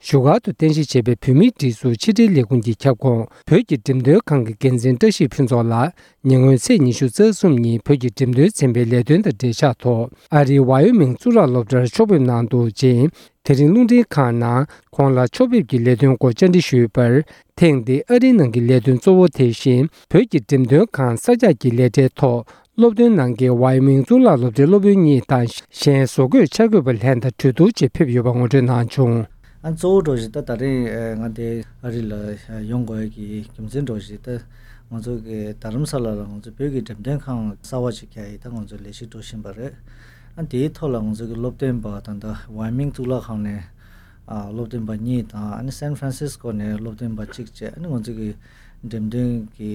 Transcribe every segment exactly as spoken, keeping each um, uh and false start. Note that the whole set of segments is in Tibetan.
བཞུགས་སྒར་དུ་རྟེན་གཞི་བྱས་པའི་བོད་མིའི་སྒྲིག་འཛུགས་ཕྱི་དྲིལ་ལས་ཁུངས་ཀྱི་ཁྱབ་ཁོངས་བོད་ཀྱི་འགྲེམས་སྟོན་ཁང་གི་འགན་འཛིན་བཀྲ་ཤིས་ཕུན་ཚོགས་ལགས་ཉེ་སྔོན་ཚེས་ཉི་ཤུ་རྩ་གསུམ་ཉིན་བོད་ཀྱི་འགྲེམས་སྟོན་ཚན་པའི་ལས་དོན་དང་འབྲེལ་ཆགས་ཐོག་ཨ་རིའི་ཝའི་ཡོ་མིང་གཙུག་ལག་སློབ་གྲྭར་ཕྱོགས་ཕེབས་གནང་འདུག་ཅིང་། དེ་རིང་རླུང་འཕྲིན་ཁང་ནང་ཁོང་ལ་ཕྱོགས་ཕེབས་ཀྱི་ལས་དོན་སྐོར་བཅར་འདྲི་ཞུས་པར། ཐེངས་འདིའི་ཨ་རིའི་ནང་གི་ལས་དོན་གཙོ་བོ་དེ་བཞིན་བོད་ཀྱི་འགྲེམས་སྟོན་ཁང་གསར་རྒྱག་གི་ལས་གྲྭའི་ཐོག་སློབ་སྟོན་གནང་མཁན་ཝའི་ཡོ་མིང་གཙུག་ལག་སློབ་གྲྭའི་སློབ་དཔོན་གཉིས་དང་། གཞན་བཟོ་བཀོད་འཆར་འགོད་པ་ལྷན་དང་གྲོས་བསྡུར་ཆེད་ཕེབས་ཡོད་པ་ངོ་སྤྲོད་གནང་བྱུང་། ཨ། གཙོ་བོ་འདྲ་བོ་ཞིག་ད་ད་རིང་ཨ་ང་འདི་ཨ་རི་ལ་ཡོང་དགོས་ཡ་གི་རྒྱུ་མཚན་འདྲ་བོ་ཞིག་ད་ང་ཚོ་གི་རྡ་རམ་ས་ལ་ལ་ང་ཚོ་བོད་ཀྱི་འགྲེམས་སྟོན་ཁང་གསར་བ་ཅིག་རྒྱག་ཡ་ད་ང་ཚོ་ལས་གཞི་འགྲོ་བཞིན་པ་རེད། ཨ། དེའི་ཐོག་ལ་ང་ཚོ་གི་སློབ་སྟོན་པ་ད་ལྟ་ཝའི་ཡོ་མིང་གཙུག་ལག་ཁང་ནས་ཨ་སློབ་སྟོན་པ་གཉིས་དང་། ཨ་ནི་སན་ཧྥ་རན་སིས་ཀོ་ནས་སློབ་སྟོན་པ་གཅིག་བཅས། ཨ་ནི་ང་ཚོ་གི་འགྲེམས་སྟོན་གྱི་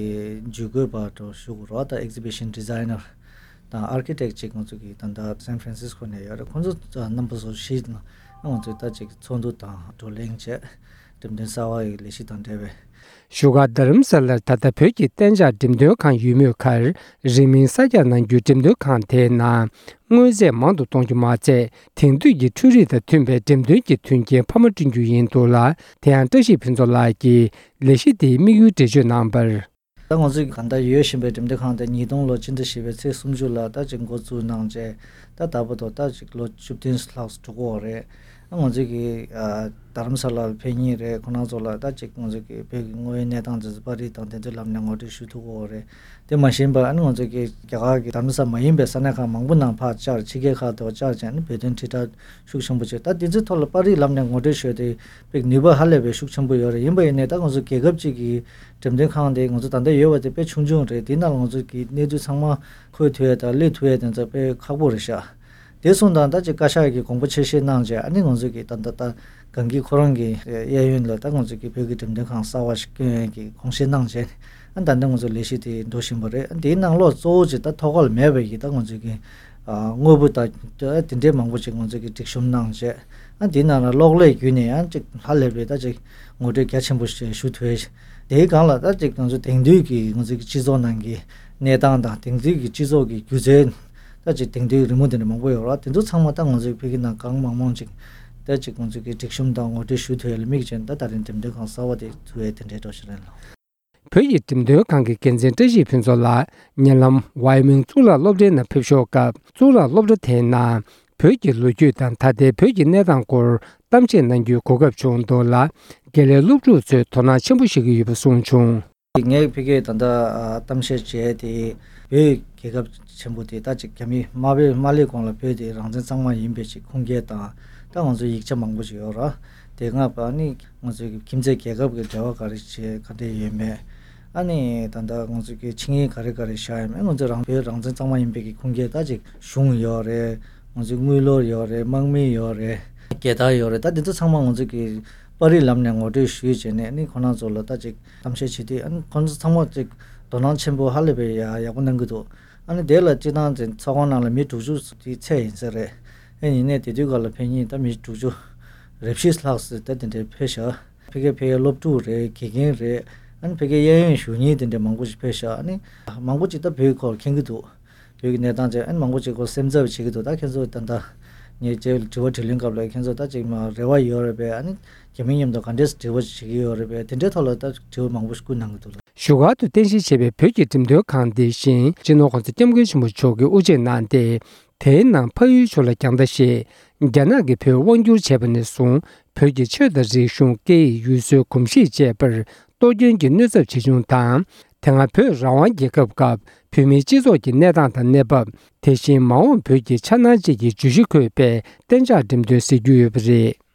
ཇུས་འགོད་པ་འདྲ་བོ་ཞུ་དགོས་རེད་བ། ད་ཨེག་ཛི་བི་ཤན་ཌི་ཛའི་ནར་དང་ཨར་ཀི་ཊེག་ཅིག་ང་ཚོ་གི་ད་ལྟ་སན་ཧྥ་རན་སིས་ཀོ་ནས་ཡོད་རེད། ཁོང་ཚོ་རྣམ་པ་ཚོ་བཞི་ང་ཚོས་ད་ཅིག་ཚོགས་འདུ་དང་བགྲོ་གླེང་བྱས། འགྲེམས་སྟོན་གསར་བ་ཡི་ལས་གཞི་དང་འབྲེལ་བའི། བཞུགས་སྒར་རྡ་རམ་ས་ལར་ད་ལྟ་བོད་ཀྱི་གཏན་འཇགས་འགྲེམས་སྟོན་ཁང་ཡོད་མུས་ཁར། རིང་མིན་གསར་རྒྱག་གནང་རྒྱུའི་འགྲེམས་སྟོན་ཁང་དེའི་ནང་། དངོས་རྫས་མང་དུ་གཏོང་རྒྱུ་མ་ཚད། དེང་དུས་ཀྱི་འཕྲུལ་རིག་དང་མཐུན་པའི་འགྲེམས་སྟོན་གྱི་མཐུན་རྐྱེན་འཕར་མ་བསྐྲུན་རྒྱུ་ཡིན་འདུག་ལ། དེ་ཡང་བཀྲ་ཤིས་ཕུན་ཚོགས་ལགས་ཀྱིས་ལས་གཞི་དེའི་དམིགས་ཡུལ་འགྲེལ་བརྗོད་གནང་བར། ད་ང་ཚོས་གང་ལྟར་ཡོད་བཞིན་པའི་འགྲེམས་སྟོན་ཁང་དེ་ཉིས་སྟོང་ལོ་སྤྱི་ཟླ་བཞི་པའི་ཚེས་སུམ་ཅུ་ལ་ད་ཅིག་འགོ་བཙུགས་གནང་རྗེས། ད་ད་བར་དུ་ད་ཅིག་ལོ་བཅུ་བདུན་ལྷག་འགྲོ་གི་ཡོད་རེད། ང་ཚོས་ཀྱི་ཨ་རྡ་རམ་ས་ལར་ཕེབས་མཁན་རེད། ཁོང་རྣམ་ཚོ་ལ་ད་ཅིག་ང་ཚོས་ཀྱི་བོད་ཀྱི་དངོས་ཡོད་གནས་སྟངས་དེ་ཚོ་པར་རིས་དང་དེ་ཚོའི་ལམ་ནས་ངོ་སྤྲོད་ཞུ་ཐུབ་ཀྱི་ཡོད་རེད། དེ་མ་ཡིན་པ་ཨ་ནི་ང་ཚོས་ཀྱི་རྒྱ་གར་གྱི་རྡ་རམ་ས་མ་ཡིན་པའི་ས་གནས་ཁག་མང་པོ་ནང་ཕར་བཅར། ཕྱི་རྒྱལ་ཁག་ཏུ་བཅར་བྱས་ནས་བོད་དོན་དྲིལ་བསྒྲགས་ཤུགས་ཆེན་པོ་བྱས། ད་དེ་ཚོའི་ཐོག་ལ་པར་རིས་ལམ་ནས་ངོ་སྤྲོད་ཞུ་དེ་དཔེ་ནུས་པ་ཧ་ལས་པའི་ཤུགས་ཆེན་པོ་ཡོད་རེད། ཡིན་པ་ཡིན་ནའི་ད་ང་ཚོ་རྒྱལ་ཁབ་ཅིག་གི་འགྲེམས་སྟོན་ཁང་དེ་ང་ཚོ་ད་ལྟ་ཡོད་པ་དེ་དཔེ་ཆུང་ཆུང་རེད། དེ་ནང་ལ་ང་ཚོ་གི་གནས་ཚུལ་ཚང་མ་འཁོད་ཐུབ་ཡ་དང་སླེབས་ཐུབ་ཡ་དེ་ཚོ་དཔེ་ཁག་པོ་རེད་ཤག་དེ་སོང་ཙང་ད་ཅིག་བཀའ་ཤག་གིས་དགོངས་པ་ཆེ་བཞེས་གནང་རྗེས། ཨ་ནི་ང་ཚོ་གི་ད་ད་ད་གང་གི་ཁོ་རང་གི་གཡས་གཡོན་ལ་ད་ང་ཚོ་གི་བོད་ཀྱི་འགྲེམས་སྟོན་ཁང་གསར་བ་ཞིག་བསྐྲུན་ཡས་ཀྱི་དགོངས་བཞེས་གནང་རྗེས། ཨ་ད་ལྟ་ང་ཚོ་ལས་གཞི་དེ་འགྲོ་བཞིན་པ་རེད། ཨ་དེའི་ནང་ལོགས་གཙོ་བོ་ཅིག་ད་ཐོག་ཁར་མེད་པའི་གི་ད་ང་ཚོ་གི་ཨ་དངོས་པོ་དང་ད་དེ་འདྲའི་མང་པོ་ཅིག་ང་ཚོ་གི་སྒྲིག་གཤོམ་གནང་རྗེས། ཨ་དེའི་ནང་ལ་གློག་ཀླད་བརྒྱུད་ནས་ཡང་ཅིག་ཧ་ལས་པའི་ད་ཅིག་ངོ་སྤྲོད་རྒྱ་ཆེན་པོ་ཞིག་ཞུ་ཐུབ་ཡས། དེའི་སྒང་ལ་ད་ཅིག་ང་ཚོ་དེང་དུས་ཀྱི་ང་ཚོ་གི་སྤྱི་ཚོགས་ནང་གི་གནས་སྟངས་དང་། དེང་དུས་ཀྱི་སྤྱི་ཚོགས་ཀྱི་སྒྱུ་རྩལ། ད་ཅིག་དེང་དུས་རི་མོ་དེ་འདྲ་མང་པོ་ཡོད་རེད། དེ་ཚོ་ཚང་མ་ད་ང་ཚོའི་བོད་ཀྱི་ནང་གང་མང་མང་ཅིག་ད་ཅིག་ང་ཚོ་གི་སྒྲིག་གཤོམ་དང་ངོ་སྤྲོད་ཞུ་ཐུབ་ཡ་ལ་དམིགས་བྱས་ནས་ད་ད་རིང་འགྲེམས་སྟོན་ཁང་གསར་བ་དེ་བཙུགས་ཡ་དེ་འདྲའི་འགྲོ་བཞིན་རེད་ལགས། བོད་ཀྱི་འགྲེམས་སྟོན་ཁང་གི་འགན་འཛིན་བཀྲ་ཤིས་ཕུན་ཚོགས་ལགས་ཉེ་ལམ་ཝའི་ཡོ་མིང་གཙུག་ལག་སློབ་གྲྭའི་ནང་ཕེབས་ཞོར་སྐབས། གཙུག་ལག་སློབ་གྲྭ་དེའི་ནང་བོད་ཀྱི་ལོ་རྒྱུས་དང་ད་ལྟའི་བོད་ཀྱི་གནས་སྟངས་སྐོར་གཏམ་བཤད་གནང་རྒྱུའི་གོ་སྐབས་བྱུང་འདུག་ལ། དགེ་ལས་སློབ་ཕྲུག་ཚོས་དོ་སྣང་ཆེན་པོ་བྱེད་ཀྱི་ཡོད་པ་གསུངས་བྱུང་། ངས་ཕ་གིར་ད་ལྟ་ཨ་གཏམ་བཤད་བྱས་ཏེ། བོད་རྒྱལ་ཁབ་ཆེན་པོ་དེ་ད་ཅིག་རྒྱ་མི་མ་སླེབས་མ་སླེབས་གོང་ལ་བོད་དེ་རང་བཙན་གཙང་མ་ཡིན་པའི་ཅིག་ཁུངས་སྐྱེལ་དང་། ད་ང་ཚོ་ཡིག་ཆ་མང་པོ་ཅིག་ཡོད་རེད། དེ་སྔ་ཨ་ནི་ང་ཚོའི་ཁྱིམ་མཚེས་རྒྱལ་ཁབ་ཀྱི་འབྲེལ་བ་ག་རེ་བྱས་ག་འདྲས་ཡོད་མེད། ཨ་ནི་ད་ལྟ་ང་ཚོ་གི་ཆིངས་ཡིག་ག་རེ་ག་རེ་བཞག་ཡོད་མེད། ང་ཚོ་རང་བོད་རང་བཙན་གཙང་མ་ཡིན་པའི་གི་ཁུངས་སྐྱེལ་ད་ཅིག་གཞུང་ཡོད་རེད། ང་ཚོའི་དངུལ་ལོར་ཡོད་རེད། དམག་མི་ཡོད་རེད། རྒྱལ་དར་ཡོད་རེད། ད་འདི་ཚོ་ཚང་མ་ང་ཚོ་གི་པར་རིས་ལམ་ནས་ངོ་སྤྲོད་ཞུས་བྱས་ནས། ཨ་ནི་ཁོང་རྣམ་ཚོ་ལ་ད་ཅིག་གཏམ་བཤད་བྱེད་དུས། ཨ་ནི་ཁོང་ཚོ་ཚང་མ་ཅིག་དོ་སྣང་ཆེན་པོ་ཧ་ལས་པའི་ཡ་ཡག་པོ་གནང་གི་འདུག་ཨ་ནི་དེ་ལ་སྤྱིར་བཏང་དེ་ཚོགས་ཁང་ནང་ལ་མི་དྲུག་ཅུ་དེ་ཚད་ཡིན་ས་རེད། ཨེ་ཡིན་ནའི་དེ་དུས་སྐབས་ལ་ཕེབས་མཁན་ད་མི་དྲུག་ཅུ་རེ་བཞི་ལྷག་ཙམ་ད་དེ་འདྲའི་ཕེབས་ཤག་ཕ་གིར་ཕ་གིའི་སློབ་ཕྲུག་རེད། དགེ་རྒན་རེད། ཨ་ནི་ཕ་གིའི་གཡས་གཡོན་བཞུགས་མཁན་དེ་འདྲ་མང་པོ་ཞིག་ཕེབས་ཤག་ཨ་ནི་མང་པོ་ཅིག་ད་བོད་སྐོར་མཁྱེན་གྱི་འདུག་བོད་ཀྱི་གནས་སྟངས་བྱས། ཨ་ནི་མང་པོ་ཅིག་སྐོར་སེམས་འཚབ་བྱེད་ཀྱི་འདུག་ད་ཁྱེད་ཚོ་ད་ལྟ་ངའི་རྗེས་དྲི་བ་དྲིས་ལན་སྐབས་ལ་ཁྱེད་ཚོ་ད་ཅིག་མ་རེ་བ་ཡོད་རེད་པས། ཨ་ནི་རྒྱ་མི་མཉམ་དུ་ག་འདྲས་འབྲེལ་བ་བྱེད་ཀྱི་ཡོད་རེད་པས། དེ་འདྲའི་ཐོག་ལ་ད་དྲི་བ་མང་པོ་ཞིག་བསྐུར་གནང་གི་འདུག་ལ། བཞུགས་སྒར་དུ་རྟེན་གཞི་བྱས་པའི་བོད་ཀྱི་འགྲེམས་སྟོན་ཁང་འདི་བཞིན་སྤྱི་ནོར་༸གོང་ས་༸སྐྱབས་མགོན་ཆེན་པོ་མཆོག་གིས་དབུ་འབྱེད་གནང་སྟེ། དེའི་ནང་ཕ་ཡུལ་ཕྱོགས་ལ་རྒྱང་ལྟ་ཞེས་རྒྱ་ནག་གིས་བོད་དབང་བསྒྱུར་བྱས་པ་ནས་བཟུང་བོད་ཀྱི་ཆོས་དང་རིག་གཞུང་། སྐད་ཡིག། ཡུལ་སྲོལ། གོམས་གཤིས་བཅས་པར་གཏོར་སྐྱོན་གྱི་གནོད་ཚབས་ཇི་བྱུང་དང་། དེ་སྔ་བོད་རང་དབང་རྒྱལ་ཁབ་སྐབས་བོད་མིའི་སྤྱི་ཚོགས་ཀྱི་གནས་སྟངས་དང་གནས་བབ། དེ་བཞིན་མ་འོངས་བོད་ཀྱི་འཆར་སྣང་བཅས་ཀྱི་བརྗོད་གཞི་འཁོད་པའི་གཏན་འཇགས་འགྲེམས་སྟོན་ཟེར་རྒྱུ་ཡོད་པ་རེད།